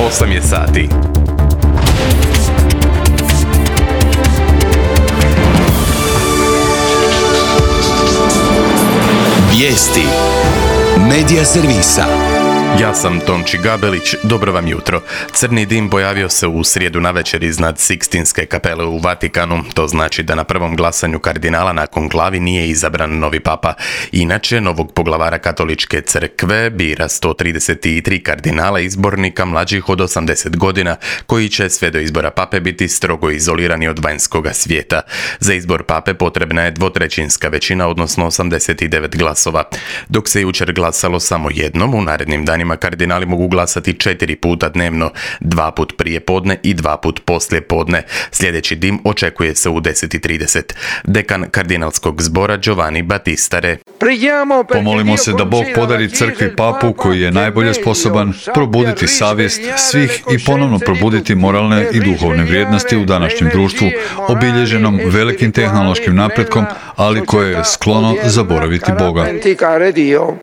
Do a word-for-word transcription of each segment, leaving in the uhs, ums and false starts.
osam je sati. Vijesti Medija servisa. Ja sam Tonči Gabelić, dobro vam jutro. Crni dim pojavio se u srijedu navečer iznad Sikstinske kapele u Vatikanu. To znači da na prvom glasanju kardinala na konklavi nije izabran novi papa. Inače, novog poglavara katoličke crkve bira sto trideset tri kardinala izbornika mlađih od osamdeset godina, koji će sve do izbora pape biti strogo izolirani od vanjskoga svijeta. Za izbor pape potrebna je dvotrećinska većina, odnosno osamdeset devet glasova. Dok se jučer glasalo samo jednom, u narednim danima kardinali mogu glasati četiri puta dnevno, dva put prije podne i dva put poslije podne. Sljedeći dim očekuje se u deset i trideset. Dekan kardinalskog zbora Giovanni Battistare. Pomolimo se da Bog podari crkvi papu koji je najbolje sposoban probuditi savjest svih i ponovno probuditi moralne i duhovne vrijednosti u današnjem društvu, obilježenom velikim tehnološkim napretkom, ali koje je sklono zaboraviti Boga.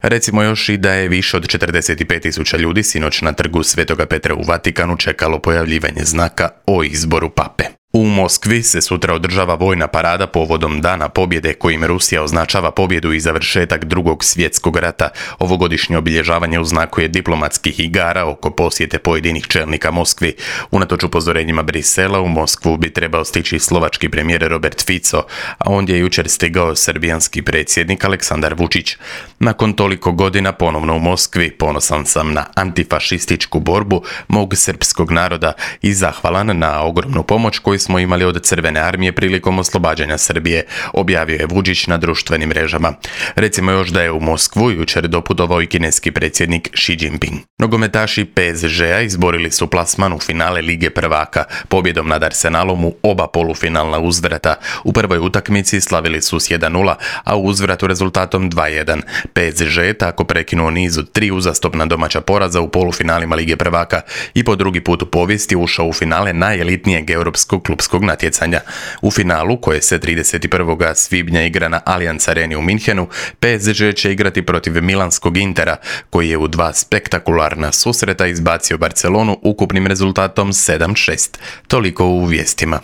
Recimo još i da je više od četrdeset pet tisuća ljudi sinoć na trgu Svetoga Petra u Vatikanu čekalo pojavljivanje znaka o izboru pape. U Moskvi se sutra održava vojna parada povodom Dana pobjede, kojim Rusija označava pobjedu i završetak Drugog svjetskog rata. Ovogodišnje obilježavanje uznakuje diplomatskih igara oko posjete pojedinih čelnika Moskvi. Unatoč upozorenjima Brisela, u Moskvu bi trebao stići slovački premijer Robert Fico, a ondje je jučer stigao srbijanski predsjednik Aleksandar Vučić. Nakon toliko godina ponovno u Moskvi ponosan sam na antifašističku borbu mog srpskog naroda i zahvalan na ogromnu pomoć koju smo imali od Crvene armije prilikom oslobađanja Srbije, objavio je Vučić na društvenim mrežama. Recimo još da je u Moskvu jučer doputovao i kineski predsjednik Xi Jinping. Nogometaši P S G-a izborili su plasman u finale Lige prvaka, pobjedom nad Arsenalom u oba polufinalna uzvrata. U prvoj utakmici slavili su s jedan nula, a u uzvratu rezultatom dva jedan. P S G je tako prekinuo niz od tri uzastopna domaća poraza u polufinalima Lige prvaka i po drugi put u povijesti ušao u finale najelitnijeg europskog klubskog natjecanja. U finalu, koje se trideset prvog svibnja igra na Allianz Areni u Minhenu, P S G će igrati protiv milanskog Intera, koji je u dva spektakularna susreta izbacio Barcelonu ukupnim rezultatom sedam šest. Toliko u vijestima.